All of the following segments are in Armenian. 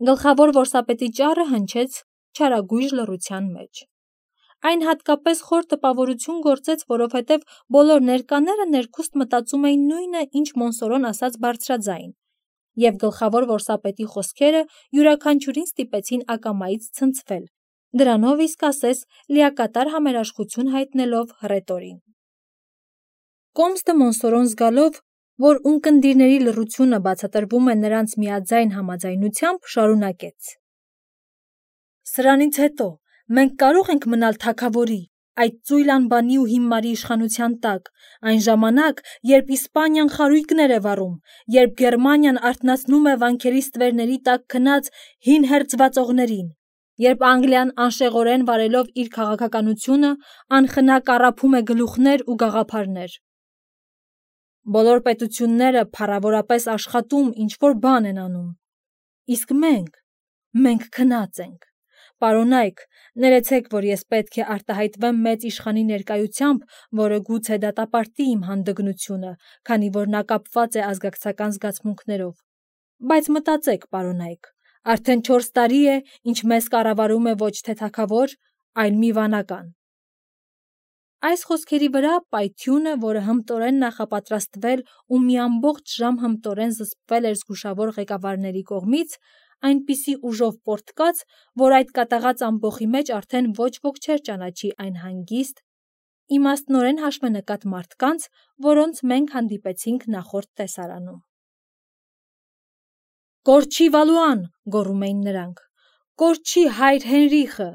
Գլխավոր որսապետի ճառը հնչեց չարագույժ լռության մեջ։ Այն հատկապես խոր տպավորություն գործեց, որովհետև բոլոր ներկաները ներքուստ մտածում էին նույնը, ինչ Մոնսորոն ասաց բարձրաձայն, և գլխավոր որսապետի խոսքերը յուրաքանչյուրին ստիպեցին ակամայից ցնցվել, դրանով իսկ ասես լիակատար համերաշխություն հայտնելով հռետորին։ Կոմստը Մոնսորոն զգալով, որ ունկնդիրների լռությունը բացատրվում է նրանց միաձայն համաձայնությամբ, շարունակեց. «Սրանից հետո մենք կարող ենք մնալ թագավորի, այդ ծույլ անբանի ու հիմարի իշխանության տակ, այն ժամանակ, երբ Իսպանիան խարույկներ է վառում, երբ Գերմանիան արթնացնում է վանքերի ստվերների տակ քնած հին հերձվածողներին, երբ Անգլիան անշեղորեն վարելով իր քաղաքականությունը անխնա կառափում է գլուխներ ու գաղափարներ։ Բոլոր պետությունները փառավորապես աշխատում ինչ-որ բան են անում, իսկ մենք քնած ենք։ Պարոնայք, ներեցեք, որ ես պետք է արտահայտվեմ մեծ իշխանի ներկայությամբ, որը գուցե դատապարտի իմ հանդգնությունը, քանի որ նա կապված է ազգակցական զգացմունքներով։ Բայց մտածեք, պարոնայք, արդեն 4 տարի է, ինչ մեզ կառավարում է ոչ թե թագավոր, այլ մի վանական»։ Այս խոսքերի վրա պայթյունը, որը հմտորեն նախապատրաստվել ու մի ամբողջ ժամ հմտորեն զսպվել էր զգուշավոր ղեկավարների կողմից, այնպիսի ուժով պոռթկաց, որ այդ կատաղած ամբոխի մեջ արդեն ոչ ոք չէր ճանաչի այն հանգիստ, իմաստնորեն հաշվենկատ մարդկանց, որոնց մենք հանդիպեցինք նախորդ տեսարանում։ «Կորչի Վալուան», գոռում էին նրանք, «կորչի հայր Հենրիխը»։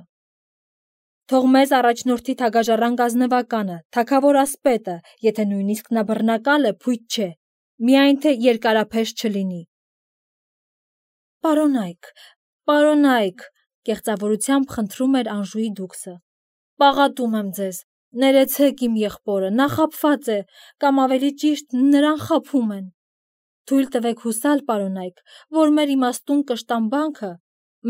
Թող մեզ առաջնորդի թագաժառանգ ազնվականը, թագավոր ասպետը, եթե նույնիսկ նա բռնակալ է, փույթ չէ, միայն թե երկարափեշ չլինի։ Պարոնայք, կեղծավորությամբ խնդրում էր Անժուի դուքսը, պաղատում եմ ձեզ, ներեցեք իմ եղբորը, նա խաբված է, կամ ավելի ճիշտ նրան խաբում են։ Թույլ տվեք հուսալ, պարոնայք, որ մեր իմաստուն կշտամբանքը,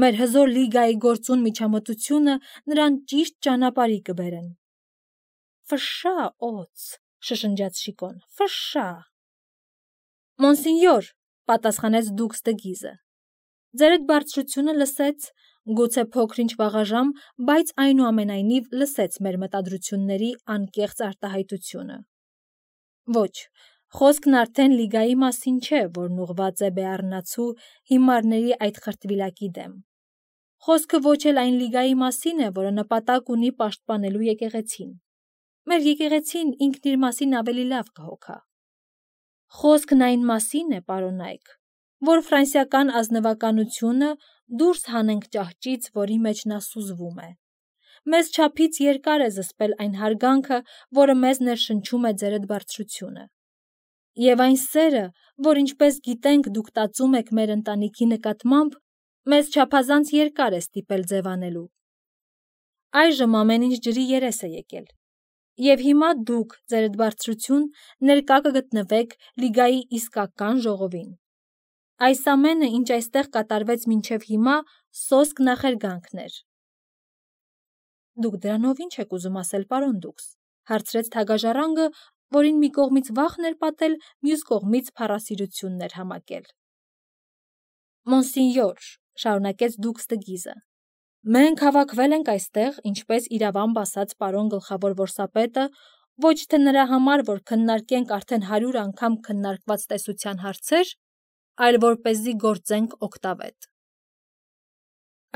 մեր հզոր լիգայի գործուն միջամտությունը նրան ճիշտ ճանապարհի կբերեն։ Ֆշշա, օձ, շշնջաց Շիկոն, ֆշշա։ Մոնսինյոր, պատասխանեց դուքս դը Գիզը, ձերդ բարձրությունը լսեց, գուցե փոքր-ինչ վաղաժամ, բայց այնուամենայնիվ լսեց մեր մտադրությունների անկեղծ արտահայտությունը։ Ոչ, խոսքն արդեն լիգայի մասին չէ, որն ուղղված է Բեառնացու հիմարների այդ խրտվիլակի դեմ։ Խոսքը ոչ էլ այն լիգայի մասին է, որը նպատակ ունի պաշտպանելու եկեղեցին։ Մեր եկեղեցին ինքն իր մասին ավելի լավ կհոգա։ Խոսքն այն մասին է, պարոնայք, որ ֆրանսիական ազնվականությունը դուրս հանենք ճահճից, որի մեջ նա սուզվում է։ Մեզ չափից երկար է զսպել այն հարգանքը, որը մեզ ներշնչում է ձերդ բարձրությունը։ Եվ այն սերը, որ ինչպես գիտենք դուք տածում եք մեր ընտանիքի նկատմամբ, մեզ չափազանց երկար է ստիպել ձևանելու։ Այժմ ամեն ինչ ջրի երես է եկել։ Եվ հիմա դուք, ձերդ բարձրություն, ներկա կգտնվեք լիգայի իսկական ժողովին։ Այս ամենը, ինչ այստեղ կատարվեց մինչև հիմա, սոսկ նախերգանքն էր։ Դուք դրանով ինչ եք ուզում ասել, պարոն դուքս, հարցրեց թագաժառանգը, որին մի կողմից վախն էր պատել, մյուս կողմից փառասիրությունն էր համակել։ Մոնսինյոր, շարունակեց դուքս դը Գիզը, մենք հավաքվել ենք այստեղ, ինչպես իրավամբ ասաց պարոն գլխավոր որսապետը, ոչ թե նրա համար, որ քննարկենք արդեն 100 անգամ քննարկված տեսության հարցեր, այլ որպեսզի գործենք օգտավետ։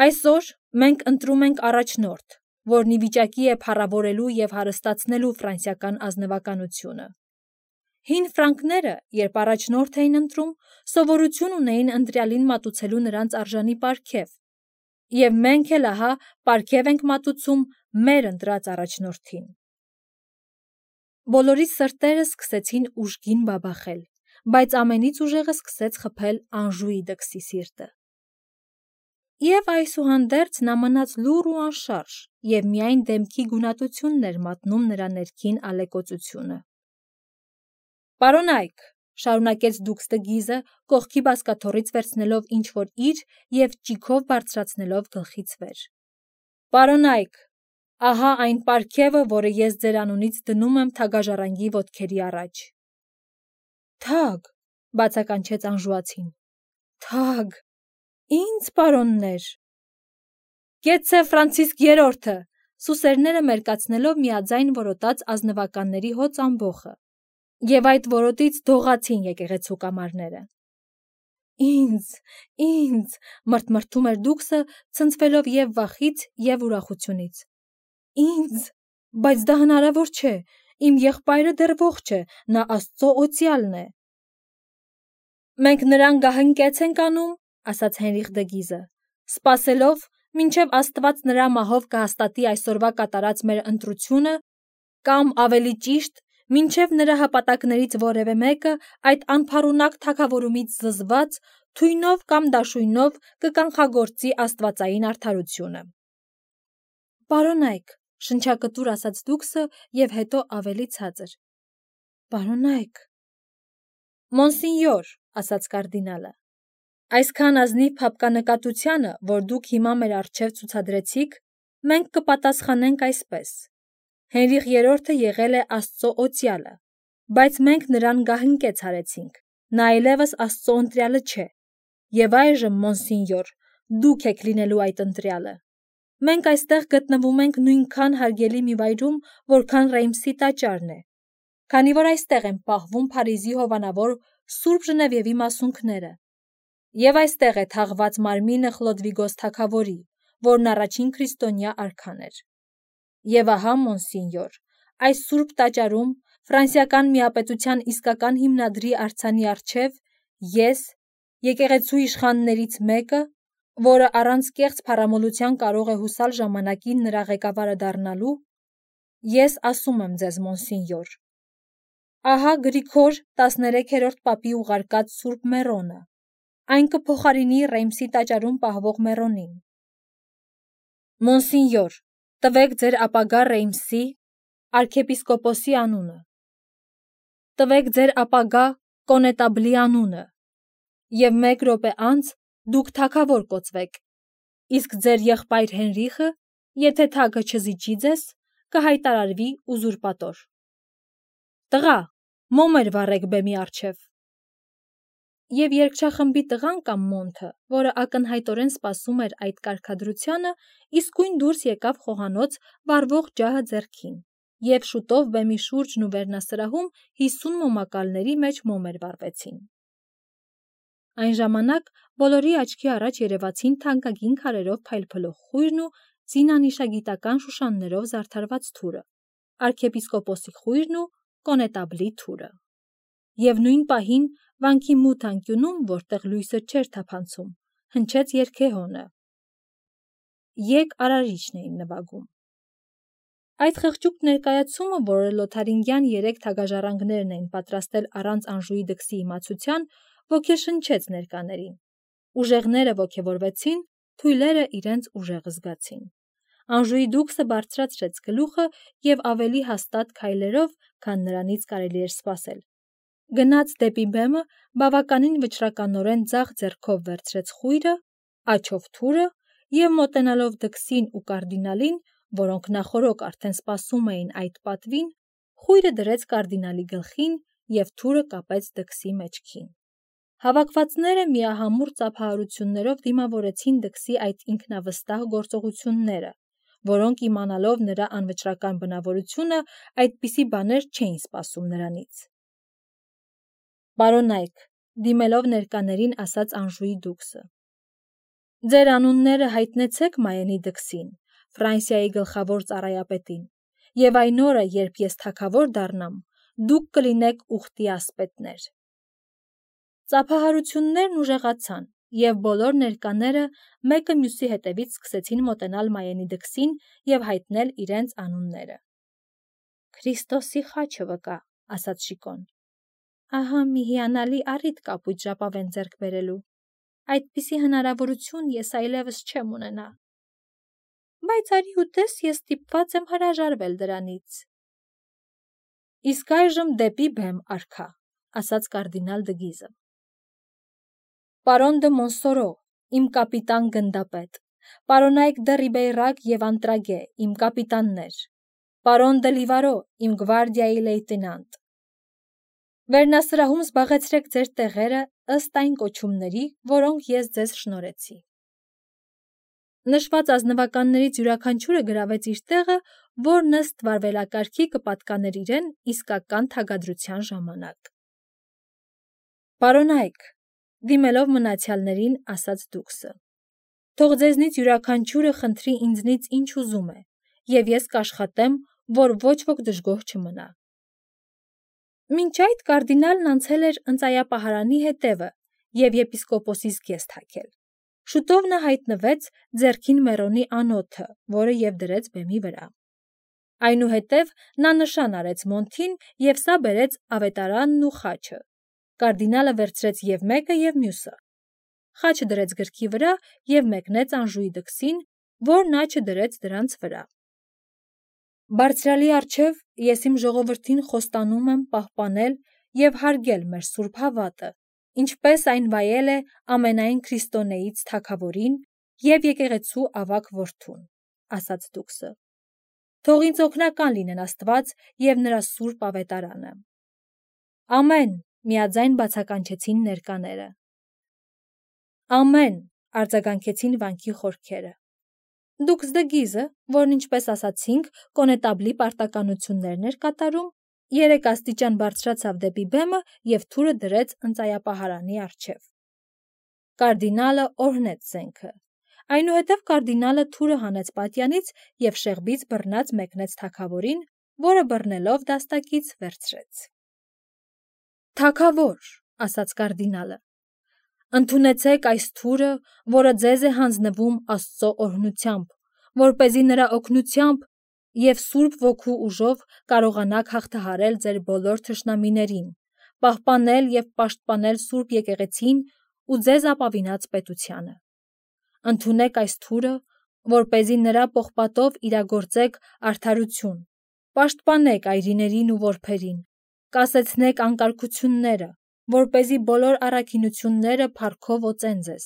Այսօր մենք ընտրում ենք առաջնորդ, որն ի վիճակի է փառավորելու և հարստացնելու ֆրանսիական ազնվականությունը։ Հին ֆրանկները, երբ առաջնորդ էին ընտրում, սովորություն ունեին ընտրյալին մատուցելու նրանց արժանի պարգև, և մենք էլ ահա պարգև ենք մատուցում մեր ընտրած առաջնորդին։ Բոլորի սրտերը սկսեցին ուժգին բաբախել, բայց ամենից ուժեղը սկսեց խփել Անժուի դքսի սիրտը։ Եվ այսուհանդերձ նա մնաց լուռ ու անշարժ, և միայն դեմքի գունատությունն էր մատնում նրա ներքին ալեկոծությունը։ Պարոնայք, շարունակեց դուքս դը Գիզը, կողքի բազկաթոռից վերցնելով ինչ-որ իր և ճիգով բարձրացնելով գլխից վեր։ Պարոնայք, ահա այն պարգևը, որը ես ձեր անունից դնում եմ թագաժառանգի ոտքերի առաջ։ Թագ, բացականչեց անժուացին, թագ։ Ինձ, պարոններ։ Գեցե Ֆրանցիսկ III-ը, սուսերները մերկացնելով միաձայն որոտաց ազնվականների հոծ ամբոխը, և այդ որոտից դողացին եկեղեցու կամարները։ Ինձ, մրթմրթում էր Դուքսը, ցնցվելով և վախից, և ուրախությունից։ Ինձ, բայց դա հնարավոր չէ, իմ եղբայրը դեռ ողջ է, նա Աստծո օծյալն է։ Մենք նրան գահընկեց ենք անում, ասաց Հենրիխ դը Գիզը, սպասելով, մինչև Աստված նրա մահով կհաստատի այսօրվա կատարած մեր ընտրությունը, կամ ավելի ճիշտ, մինչև նրա հպատակներից որևէ մեկը այդ անփառունակ թագավորումից զզված, թույնով կամ դաշույնով կկանխագործի աստվածային արդարությունը։ Պարոնայք, շնչակտուր ասաց Դուքսը և հետո ավելի ցածր. Պարոնայք։ Մոնսինյոր, ասաց կարդինալը, այսքան ազնիվ փափկանկատությանը, որ դուք հիմա մեր առջև ցուցադրեցիք, մենք կպատասխանենք այսպես. Հենրիխ III-ը եղել է Աստծո օծյալը, բայց մենք նրան գահընկեց արեցինք, նա այլևս Աստծո ընտրյալը չէ, և այժմ, մոնսինյոր, դուք եք լինելու այդ ընտրյալը։ Մենք այստեղ գտնվում ենք նույնքան հարգելի մի վայրում, որքան Ռեյմսի տաճարն է, քանի որ այստեղ են պահվում Փարիզի հովանավոր Սուրբ Ժնևիևի մասունքները, և այստեղ է թաղված մարմինը Խլոդվիգոս թագավորի, որն առաջին քրիստոնյա արքան էր։ Եվ ահա, մոնսինյոր, այս Սուրբ տաճարում, Ֆրանսիական միապետության իսկական հիմնադրի արձանի առջև, ես, եկեղեցու իշխաններից մեկը, որը առանց կեղծ փառամոլության կարող է հուսալ ժամանակին նրա ղեկավարը դառնալու, ես ասում եմ ձեզ, մոնսինյոր, ահա Գրիգոր 13-րդ պապի ուղարկած Սուրբ Մեռոնը, այն կփոխարինի Ռեյմսի տաճարում պահվող Մեռոնին։ Մոնսինյոր, տվեք ձեր ապագա Ռեյմսի arczepiskoposi անունը, տվեք ձեր ապագա կոնետաբլի անունը, և 1 րոպե անց դուք թագավոր կոծվեք, իսկ ձեր եղբայր Հենրիխը, եթե թագը չզիջի ձեզ, կհայտարարվի ուզուրպատոր։ Տղա, մոմեր վառեք բեմի առջև։ Եվ երգչախմբի տղան կամ մոնթը, որը ակնհայտորեն սպասում էր այդ կարգադրությանը, իսկույն դուրս եկավ խոհանոց վառվող ջահը ձեռքին, և շուտով բեմի շուրջն ու վերնասրահում 50 մոմակալների մեջ մոմեր վառվեցին։ Այն ժամանակ բոլորի աչքի առաջ երևացին թանկագին քարերով փայլփլող խույրն ու զինանիշագիտական շուշաններով զարդարված թուրը, arczepiskoposi խույրն ու կոնետաբլի թուրը։ Եվ նույն պահին վանքի մութ անկյունում, որտեղ լույսը չէր թափանցում, հնչեց երգեհոնը։ Եկ արարիչն էին նվագում։ Այդ խղճուկ ներկայացումը, որը լոթարինգյան 3 թագաժառանգներն էին պատրաստել առանց Անժուի դքսի իմացության, ոգեշնչեց ներկաներին։ Ուժեղները ոգևորվեցին, թույլերը իրենց ուժեղը զգացին։ Անժուի դուքսը բարձրացրեց գլուխը և ավելի հաստատ քայլերով, քան նրանից կարելի էր սպասել, գնաց դեպի բեմը, բավականին վճռականորեն ձախ ձեռքով վերցրեց խույրը, աջով թուրը և մոտենալով դքսին ու կարդինալին, որոնք նախօրոք արդեն սպասում էին այդ պատվին, խույրը դրեց կարդինալի գլխին և թուրը կապեց դքսի մեջքին։ Հավաքվածները միահամուռ ծափահարություններով դիմավորեցին դքսի այդ ինքնավստահ գործողությունները, որոնք իմանալով նրա անվճռական բնավորությունը, այդպիսի բաներ չէին սպասում նրանից։ Պարոնայք, դիմելով ներկաներին ասաց Անժուի դուքսը, ձեր անունները հայտնեցեք Մայենի դքսին, Ֆրանսիայի գլխավոր ծառայապետին, և այն օրը, երբ ես թագավոր դառնամ, դուք կլինեք ուխտի ասպետներ։ Ծափահարություններն ուժեղացան, և բոլոր ներկաները մեկը մյուսի հետևից սկսեցին մոտենալ Մայենի դքսին և հայտնել իրենց անունները։ Քրիստոսի խաչը վկա, ասաց Շիկոն։ Ահա մի հիանալի առիթ կապույտ ժապավեն ձեռք բերելու։ Այդպիսի հնարավորություն ես այլևս չեմ ունենա։ Բայց արի ու տես, ես ստիպված եմ հրաժարվել դրանից։ Իսկ այժմ դեպի բեմ, արքա, ասաց կարդինալ դը Գիզը։ Պարոն դը Մոնսորո, իմ կապիտան գնդապետ, պարոնայք դը Ռիբեյրակ և Անտրագե, իմ կապիտաններ, պարոն դը Լիվարո, իմ գվարդիայի լեյտենանտ։ Վերնասրահում զբաղեցրեք ձեր տեղերը, ըստ այն կոչումների, որոնք ես ձեզ շնորհեցի։ Նշված ազնվականներից յուրաքանչյուրը գրավեց իր տեղը, որն ըստ վարվելակարգի կպատկաներ իրեն իսկական թագադրության ժամանակ։ Պարոնայք, դիմելով մնացյալներին, ասաց Դուքսը, թող ձեզնից յուրաքանչյուրը խնդրի ինձնից ինչ ուզում է, և ես կաշխատեմ, որ ոչ ոք դժգոհ չմնա։ Մինչ այդ կարդինալն անցել էր ընծայապահարանի հետևը և եպիսկոպոսի զգեստ հագել։ Շուտով նա հայտնվեց ձեռքին մեռոնի անոթը, որը և դրեց բեմի վրա։ Այնուհետև նա նշան արեց մոնթին և սա բերեց ավետարանն ու խաչը։ Կարդինալը վերցրեց և մեկը, և մյուսը։ Խաչը դրեց գրքի վրա և մեկնեց Անժուի դքսին, որն աչը դրեց դրանց վրա։ Բարձրյալի առջև ես իմ ժողովրդին խոստանում եմ պահպանել և հարգել մեր սուրբ հավատը, ինչպես այն վայել է ամենայն քրիստոնեից թագավորին և եկեղեցու ավագ որդուն, ասաց Դուքսը։ Թող ինձ օգնական լինեն Աստված և նրա սուրբ ավետարանը։ Ամեն, միաձայն բացականչեցին ներկաները։ Ամեն, արձագանքեցին վանքի խորքերը։ Դուքս դը Գիզը, որն ինչպես ասացինք, կոնետաբլի պարտականություններն էր կատարում, 3 աստիճան բարձրացավ դեպի բեմը և թուրը դրեց ընծայապահարանի առջև։ Կարդինալը օրհնեց զենքը։ Այնուհետև կարդինալը թուրը հանեց պատյանից և շեղբից բռնած մեկնեց թագավորին, որը բռնելով դաստակից վերցրեց։ Թագավոր, ասաց կարդինալը, ընդունեցեք այս թուրը, որը ձեզ է հանձնվում Աստծո օրհնությամբ, որպեսզի նրա օգնությամբ և Սուրբ Ոգու ուժով կարողանաք հաղթահարել ձեր բոլոր թշնամիներին, պահպանել և պաշտպանել Սուրբ Եկեղեցին ու ձեզ ապավինած պետությանը։ Ընդունեք այս թուրը, որպեսզի նրա պողպատով իրագործեք արդարություն, պաշտպանեք այրիներին ու որբերին, կասեցնեք անկարգությունները, որպեսզի բոլոր առաքինությունները փառքով օծեն ձեզ,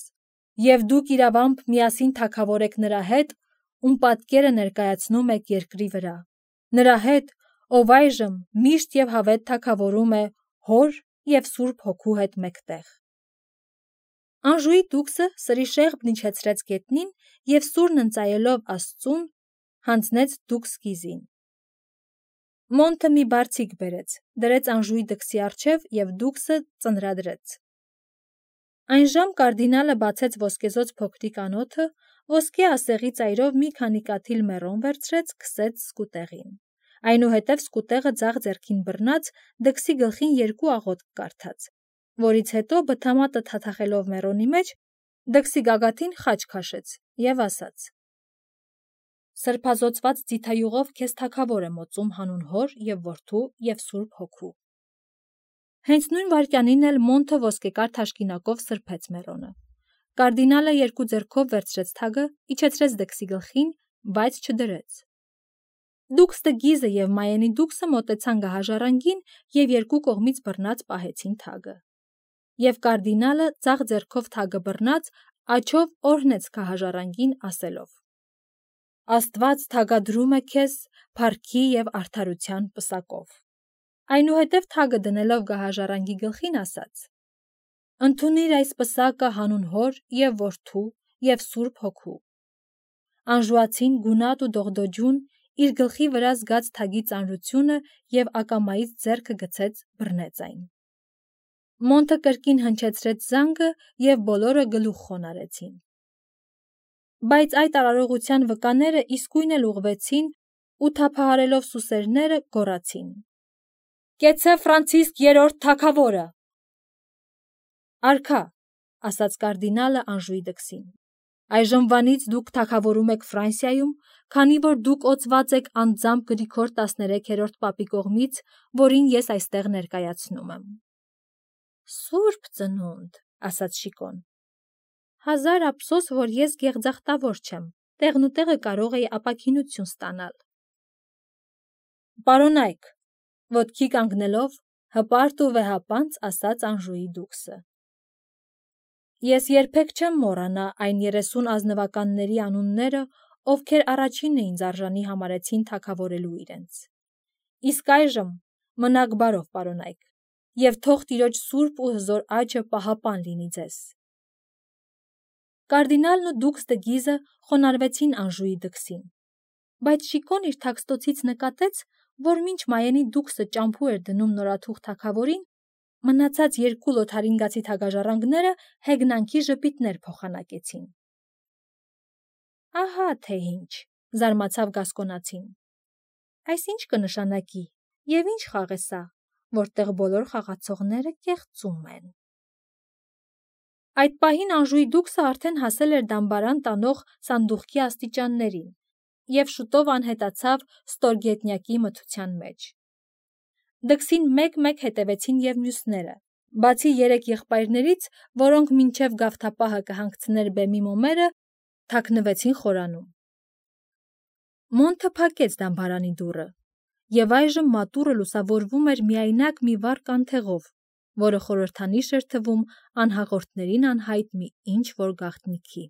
և դուք իրավամբ միասին թագավորեք նրա հետ, ում պատկերը ներկայացնում եք երկրի վրա, նրա հետ, ով այժմ միշտ և հավետ թագավորում է Հոր և Սուրբ Հոգու հետ մեկտեղ։ Անժուի Դուքսը սրի շեղբն իջեցրեց գետնին և սուրն ընծայելով Աստծուն, հանձնեց Դուքս Գիզին։ Մոնթը մի բարձիկ բերեց, դրեց Անժուի դքսի առջև և Դուքսը ծնրադրեց։ Այնժամ կարդինալը բացեց ոսկեզօծ փոքրիկ անոթը, ոսկե ասեղի ծայրով մի քանի կաթիլ մեռոն վերցրեց, քսեց սկուտեղին։ Այնուհետև սկուտեղը ձախ ձեռքին բռնած, դքսի գլխին 2 աղոթք կարդաց, որից հետո բթամատը թաթախելով մեռոնի մեջ, դքսի գագաթին խաչ քաշեց և ասաց. Սրբազոծված ձիթայուղով քեզ թագավոր եմ օծում հանուն Հոր և Որդու և Սուրբ Հոգու։ Հենց նույն վայրկյանին էլ մոնթը ոսկեկար թաշկինակով սրբեց մեռոնը։ Կարդինալը 2 ձեռքով վերցրեց թագը, իջեցրեց դքսի գլխին, բայց չդրեց։ Դուքս դը Գիզը և Մայենի Դուքսը մոտեցան գահաժառանգին և 2 կողմից բռնած պահեցին թագը։ Եվ կարդինալը ձախ ձեռքով թագը բռնած, աջով օրհնեց գահաժառանգին ասելով. Աստված թագադրում է քեզ փառքի և արդարության պսակով։ Այնուհետև թագը դնելով գահաժառանգի գլխին ասաց. Ընդունիր այս պսակը հանուն Հոր և Որդու և Սուրբ Հոգու։ Անժուացին գունատ ու դողդոջուն իր գլխի վրա զգաց թագի ծանրությունը և ակամայից ձեռքը գցեց բռնեց այն։ Մոնթը կրկին հնչեցրեց զանգը և բոլորը գլուխ խոնարհեցին։ Բայց այդ արարողության վկաները իսկույն էլ ուղղվեցին ու թափահարելով սուսերները գոռացին. Կեցցե Ֆրանցիսկ III թագավորը։ Արքա, ասաց կարդինալը Անժուի դքսին, այժմվանից դուք թագավորում եք Ֆրանսիայում, քանի որ դուք օծված եք անձամբ Գրիգոր 13-րդ պապի կողմից, որին ես այստեղ ներկայացնում եմ։ Սուրբ ծնունդ, ասաց Շիկոն։ Հազար ափսոս, որ ես գեղձախտավոր չեմ, տեղնուտեղը կարող էի ապաքինություն ստանալ։ Պարոնայք, ոտքի կանգնելով, հպարտ ու վեհապանծ ասաց Անժուի Դուքսը։ Ես երբեք չեմ մոռանա այն 30 ազնվականների անունները, ովքեր առաջինը ինձ արժանի համարեցին թագավորելու իրենց։ Իսկ այժմ մնաք բարով, պարոնայք, եւ թող Տիրոջ սուրբ ու հզոր աճը պահապան լինի ձեզ։ Կարդինալն ու դուքս դը Գիզը խոնարհվեցին Անժուի դքսին, բայց Շիկոն իր թաքստոցից նկատեց, որ մինչ Մայենի դուքսը ճամփու էր դնում նորաթուխ թագավորին, մնացած երկու լոթարինգացի թագաժառանգները հեգնանքի ժպիտներ փոխանակեցին։ Ահա թե ինչ, զարմացավ Գասկոնացին։ Այս ինչ կնշանակի եւ ինչ խաղ է սա, որտեղ բոլոր խաղացողները կեղծում են։ Այդ պահին Անժուի դուքսը արդեն հասել էր դամբարան տանող սանդուղքի աստիճաններին եւ շուտով անհետացավ ստորգետնյակի մթության մեջ։ Դքսին մեկ-մեկ հետևեցին եւ մյուսները, բացի 3 եղբայրներից, որոնք մինչև գավթապահը կհանգցներ բեմի մոմերը, թաքնվեցին խորանում։ Մոնթը փակեց դամբարանի դուռը, եւ այժմ մատուռը լուսավորվում էր միայնակ մի վառ կանթեղով, որը խորհրդանիշ էր թվում անհաղորդներին անհայտ մի ինչ-որ գաղտնիքի։